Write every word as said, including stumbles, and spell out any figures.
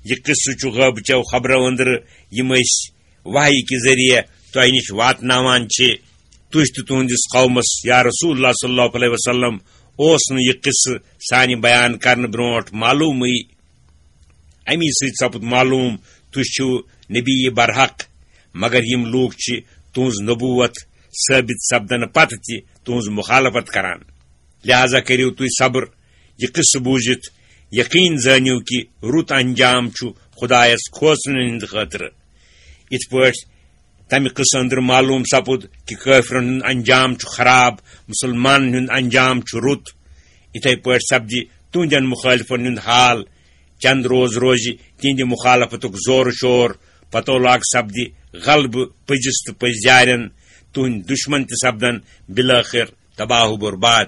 یہِ قصہٕ چھُ غٲبہٕ چٮ۪و خبرو أنٛدرٕ، یِم أسۍ وحی کہِ ذٔریعہٕ تۄہہِ نِش واتناوان چھِ۔ تُہۍ تہٕ تُہٕنٛدِس قومس، یا رسول اللہ صلی اللہ علیہ وسلم، اوس نہٕ یہِ قصہٕ سانہِ بیان کرنہٕ برونٛٹھ معلومٕے۔ اَمی سۭتۍ سپُد معلوم، تُہۍ چھِو نبی برحق، مگر یِم لوٗکھ چھِ تُہٕنٛز نبوت ثٲبت سپدنہٕ پتہٕ تہِ تُہٕنٛز مخالفت کران۔ لہذا کٔرِو تُہۍ صبر، یہِ قصہٕ بوٗزِتھ یقین زٲنِو کہِ رُت انجام چھُ خدایس کھوژنہٕ ہٕنٛدِ خٲطرٕ۔ یِتھ پٲٹھۍ تمہِ قصہٕ أنٛدرٕ معلوم سپُد کہِ کٲفرن ہُنٛد انجام چھُ خراب، مُسلمانن ہُنٛد انجام چھُ رُت، یِتھے پٲٹھۍ سپدِ تُہنٛدٮ۪ن مخٲلفن ہُنٛد حال۔ چند روز روزِ تِہنٛدِ مخالفتُک زورٕ شور، پتو لاگ سپدِ غلبہٕ پٔزِس تہٕ پٔزۍ یارٮ۪ن، تُہنٛدۍ دُشمن تہِ سپدن بالٲخر تباہ و برباد۔